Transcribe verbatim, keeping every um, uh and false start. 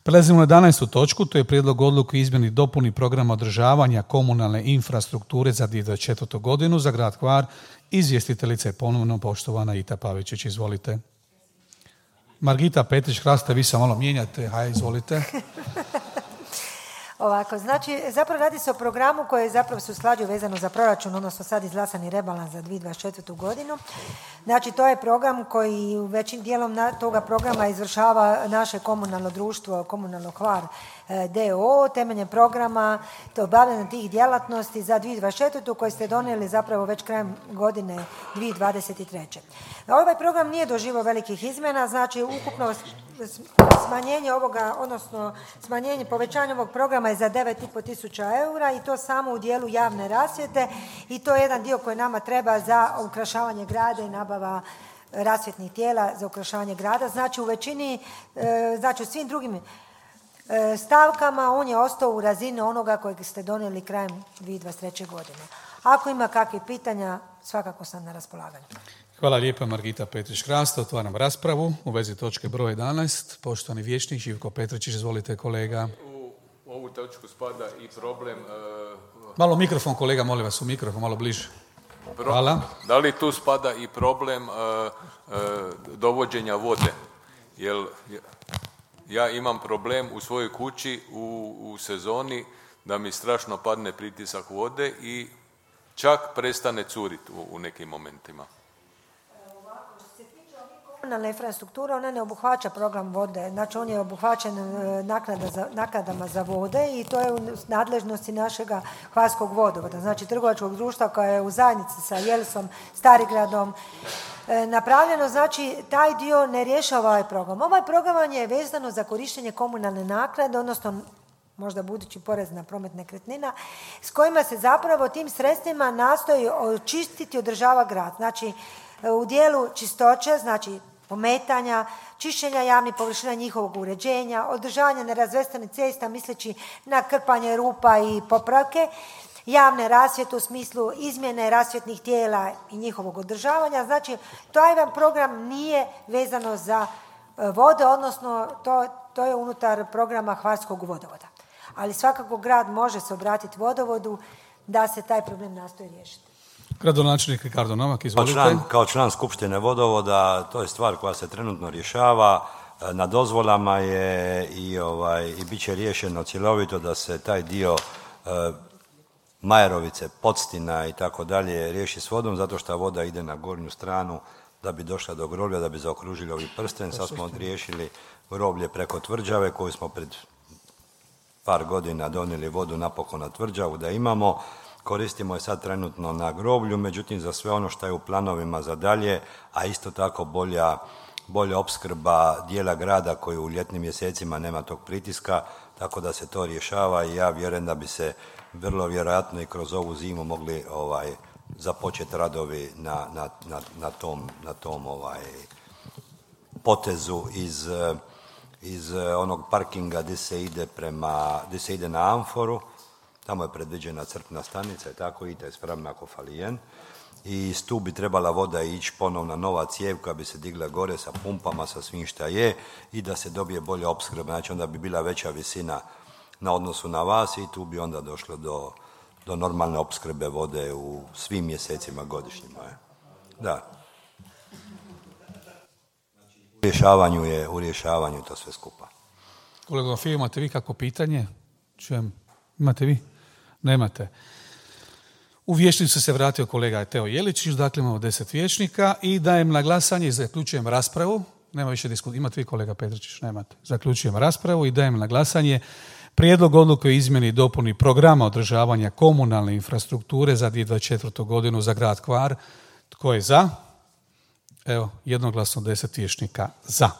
Prelazimo na jedanaestu točku, to je prijedlog odluke o izmjeni i dopuni programa održavanja komunalne infrastrukture za dvije tisuće dvadeset četvrtu. godinu za grad Hvar. Izvjestiteljica je ponovno poštovana Ita Pavičić. Izvolite. Margita Petrić-Hrasta, vi se malo mijenjate. Haj, izvolite. Ovako, znači, zapravo radi se o programu koji zapravo se usklađuje vezano za proračun, odnosno sad izglasani rebalans za dvije tisuće dvadeset četvrtu. godinu. Znači, to je program koji većim dijelom toga programa izvršava naše komunalno društvo, Komunalno Hvar d o o, temeljem programa to obavljanje tih djelatnosti za dvije tisuće dvadeset četvrtu. koje ste donijeli zapravo već krajem godine dvije tisuće dvadeset treće. Ovaj program nije doživio velikih izmjena, znači ukupno smanjenje ovoga, odnosno smanjenje, povećanje ovog programa je za devet i pol tisuća eura i to samo u dijelu javne rasvjete i to je jedan dio koji nama treba za ukrašavanje grada i nabava rasvjetnih tijela za ukrašavanje grada. Znači u većini, znači u svim drugim stavkama on je ostao u razini onoga kojeg ste donijeli krajem dvije tisuće dvadeset treće. godine. Ako ima kakvih pitanja, svakako sam na raspolaganju. Hvala lijepa Margita Petrić-Hrasta. Otvaram raspravu u vezi točke broj jedanaest. Poštovani vijećnik Živko Petričić, izvolite kolega. U ovu točku spada i problem... Uh, malo mikrofon kolega, molim vas, u mikrofon, malo bliže. Hvala. Da li tu spada i problem uh, uh, dovođenja vode? Jer ja imam problem u svojoj kući u, u sezoni da mi strašno padne pritisak vode i čak prestane curiti u, u nekim momentima. Komunalna infrastruktura, ona ne obuhvaća program vode, znači on je obuhvaćen naknada za, naknadama za vode i to je u nadležnosti našega Hvarskog vodovoda, znači trgovačkog društva koja je u zajednici sa Jelsom, Starigradom e, napravljeno, znači taj dio ne rješava ovaj program. Ovaj program je vezano za korištenje komunalne naknade, odnosno možda budući porez na promet nekretnina, s kojima se zapravo tim sredstvima nastoji očistiti i održava grad. Znači u dijelu čistoće, znači pometanja, čišćenja javnih površina, njihovog uređenja, održavanja nerazvrstanih cesta misleći na krpanje rupa i popravke, javne rasvjete u smislu izmjene rasvjetnih tijela i njihovog održavanja. Znači, taj vam program nije vezano za vode, odnosno to, to je unutar programa Hvarskog vodovoda. Ali svakako grad može se obratiti vodovodu da se taj problem nastoji riješiti. Gradonačelnik Ricardo Novak, izvolite. Kao član, kao član Skupštine vodovoda, to je stvar koja se trenutno rješava. Na dozvolama je i, ovaj, i bit će riješeno cjelovito da se taj dio e, Majerovice, Podstina i tako dalje riješi s vodom, zato što voda ide na gornju stranu da bi došla do groblja, da bi zaokružili ovi prsten. Sad smo riješili groblje preko Tvrđave koju smo pred par godina donijeli vodu napokon na Tvrđavu da imamo. Koristimo je sad trenutno na groblju, međutim za sve ono što je u planovima za dalje, a isto tako bolja, bolja opskrba dijela grada koji u ljetnim mjesecima nema tog pritiska, tako da se to rješava i ja vjerujem da bi se vrlo vjerojatno i kroz ovu zimu mogli ovaj, započeti radovi na, na, na, na tom, na tom ovaj, potezu iz, iz onog parkinga gdje se ide prema, gdje se ide na Amforu. Tamo je predviđena crpna stanica i tako ide spremna Kofalijen. I tu bi trebala voda ići ponovna nova cijev koja bi se digla gore sa pumpama, sa svim šta je i da se dobije bolja opskrba. Znači onda bi bila veća visina na odnosu na vas i tu bi onda došlo do, do normalne opskrbe vode u svim mjesecima godišnjima. Da. U rješavanju je, u rješavanju to sve skupa. Kolega Fio, imate vi kako pitanje? Čujem. Imate vi? Nemate. U vijećnicu se vratio kolega Teo Jeličić, dakle imamo deset vijećnika i dajem na glasanje i zaključujem raspravu. Nema više diskusije. Imate vi kolega Petričić? Nemate. Zaključujem raspravu i dajem na glasanje prijedlog odluke o izmjeni i dopuni programa održavanja komunalne infrastrukture za dvije tisuće dvadeset četvrtu. godinu za grad Hvar. Tko je za? Evo, jednoglasno deset vijećnika za.